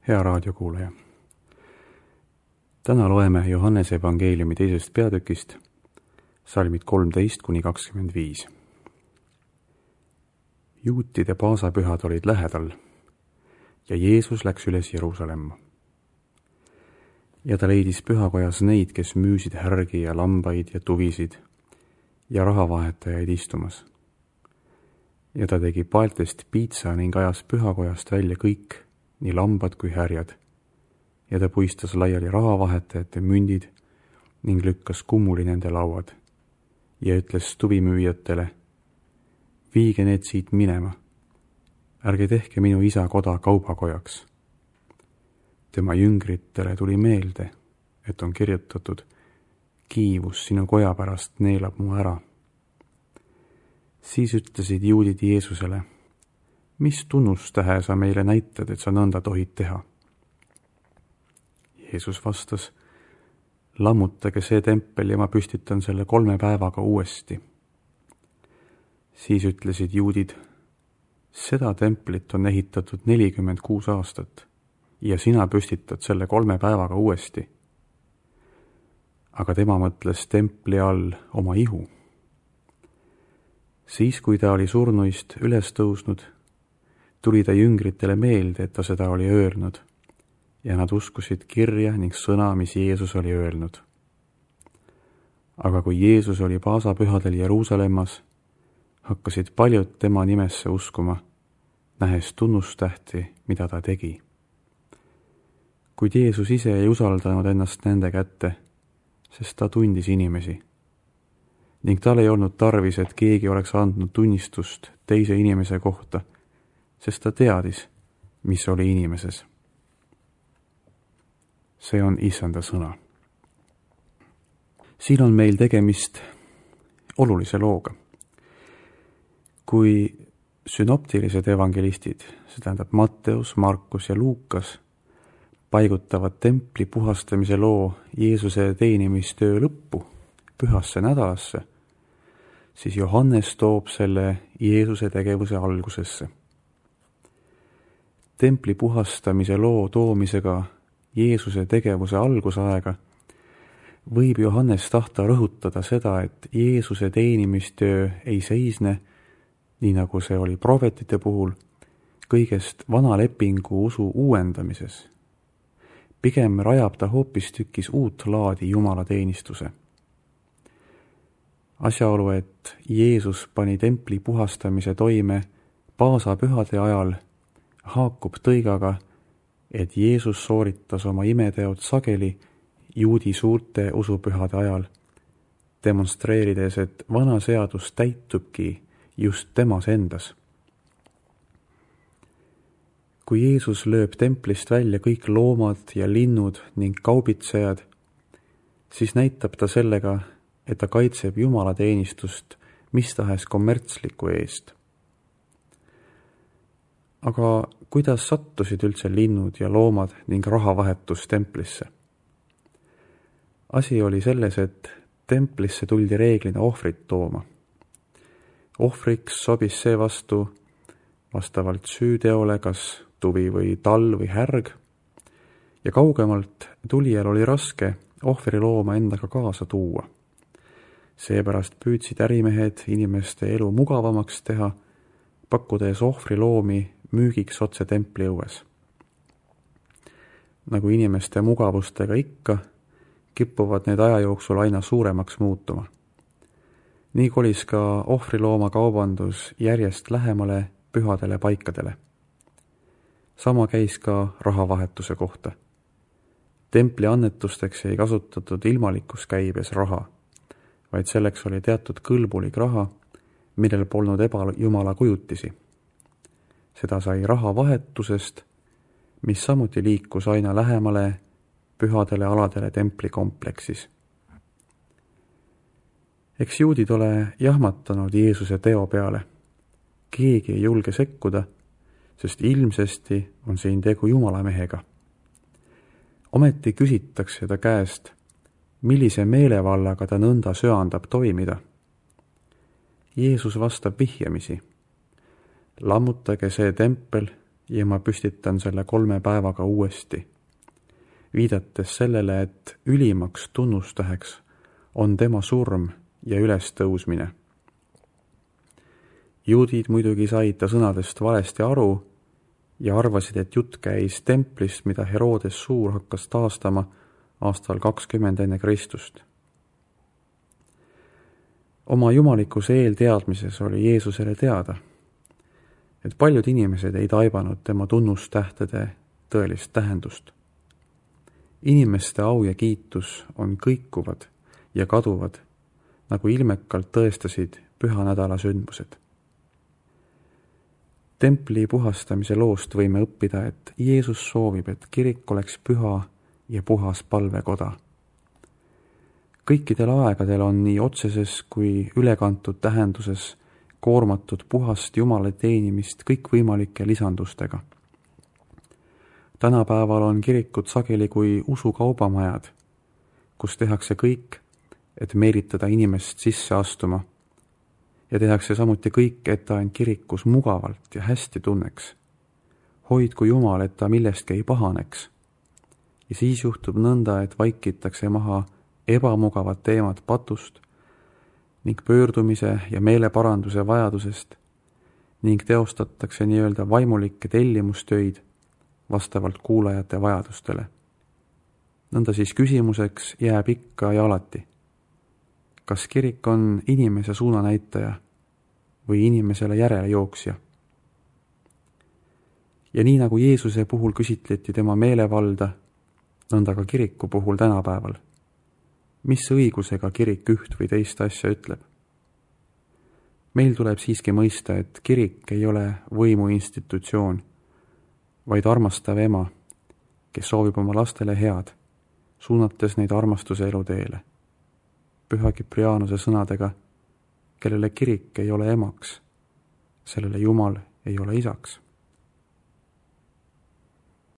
Hea raadiokuulaja! Täna loeme Johannese evangeeliumi 2. peatükist, salmid 13–25. Juutide paasapühad olid lähedal ja Jeesus läks üles Jeruusalemma. Ja ta leidis pühakojas neid, kes müüsid härgi ja lambaid ja tuvisid ja rahavahetajaid istumas. Ja ta tegi paeltest piitsa ning ajas pühakojast välja kõik, nii lambad kui härjad, ja ta puistas laiali rahavahetajate mündid ning lükkas kummuli nende lauad ja ütles tuvimüüjatele: viige need siit minema, ärge tehke minu isa koda kaubakojaks. Tema jüngritele tuli meelde, et on kirjutatud: kiivus sinu koja pärast neelab mu ära. Siis ütlesid juudid Jeesusele: mis tunnustähe sa meile näitad, et sa nõnda tohid teha? Jeesus vastas: lammutage see tempel ja ma püstitan selle 3 päevaga uuesti. Siis ütlesid juudid: seda templit on ehitatud 46 aastat ja sina püstitad selle 3 päevaga uuesti. Aga tema mõtles templi all oma ihu. Siis, kui ta oli surnuist üles tõusnud, tuli ta jüngritele meelde, et ta seda oli öelnud, ja nad uskusid kirja ning sõna, mis Jeesus oli öelnud. Aga kui Jeesus oli paasapühadel Jeruusalemmas, hakkasid paljud tema nimesse uskuma, nähes tunnustähti, mida ta tegi. Kuid Jeesus ise ei usaldanud ennast nende kätte, sest ta tundis inimesi. Ning tal ei olnud tarvis, et keegi oleks andnud tunnistust teise inimese kohta, sest ta teadis, mis oli inimeses. See on Issanda sõna. Siin on meil tegemist olulise looga. Kui synoptilised evangelistid, see tähendab Matteus, Markus ja Luukas, paigutavad templi puhastamise loo Jeesuse teenimistöö lõppu, pühasse nädalasse, siis Johannes toob selle Jeesuse tegevuse algusesse. Templi puhastamise loo toomisega Jeesuse tegevuse algusaega võib Johannes tahta rõhutada seda, et Jeesuse teenimistöö ei seisne, nii nagu see oli prohvetite puhul, kõigest vana lepingu usu uuendamises. Pigem rajab ta hoopistükkis uut laadi jumalateenistuse. Asjaolu, et Jeesus pani templi puhastamise toime paasapühade ajal, haakub tõigaga, et Jeesus sooritas oma imeteod sageli juudi suurte usupühade ajal, demonstreerides, et vana seadus täitubki just temas endas. Kui Jeesus lööb templist välja kõik loomad ja linnud ning kaubitsejad, siis näitab ta sellega, et ta kaitseb jumalateenistust mis tahes kommertsliku eest. Aga kuidas sattusid üldse linnud ja loomad ning rahavahetus templisse? Asi oli selles, et templisse tuldi reeglina ohvrit tooma. Ohvriks sobis see vastavalt süüteole, kas tuvi või tall või härg, ja kaugemalt tulijal oli raske ohvrilooma endaga kaasa tuua. Seepärast püüdsid ärimehed inimeste elu mugavamaks teha, pakkudes ohvriloomi müügiks otse templi õues. Nagu inimeste mugavustega ikka, kippuvad need aja jooksul aina suuremaks muutuma. Nii kolis ka ohvrilooma kaubandus järjest lähemale pühadele paikadele. Sama käis ka rahavahetuse kohta. Templi annetusteks ei kasutatud ilmalikus käibes raha, vaid selleks oli teatud kõlbulik raha, millel polnud ebajumala kujutisi. Seda sai rahavahetusest, mis samuti liikus aina lähemale pühadele aladele templikompleksis. Eks juudid ole jahmatanud Jeesuse teo peale. Keegi ei julge sekkuda, sest ilmsesti on siin tegu jumalamehega. Ometi küsitakse ta käest, millise meelevallaga ta nõnda söandab toimida. Jeesus vastab vihjamisi: lammutage see tempel ja ma püstitan selle 3 päevaga uuesti, viidates sellele, et ülimaks tunnustäheks on tema surm ja ülestõusmine. Juudid muidugi said ta sõnadest valesti aru ja arvasid, et jutt käis templist, mida Herodes Suur hakkas taastama aastal 20 enne Kristust. Oma jumalikuse eelteadmises oli Jeesusele teada, et paljud inimesed ei taibanud tema tunnustähtede tõelist tähendust. Inimeste au ja kiitus on kõikuvad ja kaduvad, nagu ilmekalt tõestasid pühanädala sündmused. Templi puhastamise loost võime õppida, et Jeesus soovib, et kirik oleks püha ja puhas palvekoda. Kõikidel aegadel on nii otseses kui ülekantud tähenduses koormatud puhast Jumala teenimist kõikvõimalike lisandustega. Tänapäeval on kirikud sageli kui usukaubamajad, kus tehakse kõik, et meelitada inimest sisse astuma, ja tehakse samuti kõik, et ta end kirikus mugavalt ja hästi tunneks. Hoidku Jumal, et ta millestki ei pahaneks. Ja siis juhtub nõnda, et vaikitakse maha ebamugavad teemad patust ning pöördumise ja meeleparanduse vajadusest ning teostatakse nii-öelda vaimulikke tellimustöid vastavalt kuulajate vajadustele. Nõnda siis küsimuseks jääb ikka ja alati. Kas kirik on inimese suunanäitaja või inimesele järelejooksja? Ja nii nagu Jeesuse puhul küsitleti tema meelevalda, nõnda ka kiriku puhul tänapäeval. Mis õigusega kirik üht või teist asja ütleb? Meil tuleb siiski mõista, et kirik ei ole võimuinstitutsioon, vaid armastav ema, kes soovib oma lastele head, suunates neid armastuse eluteele. Püha Kiprianuse sõnadega, kellele kirik ei ole emaks, sellele Jumal ei ole isaks.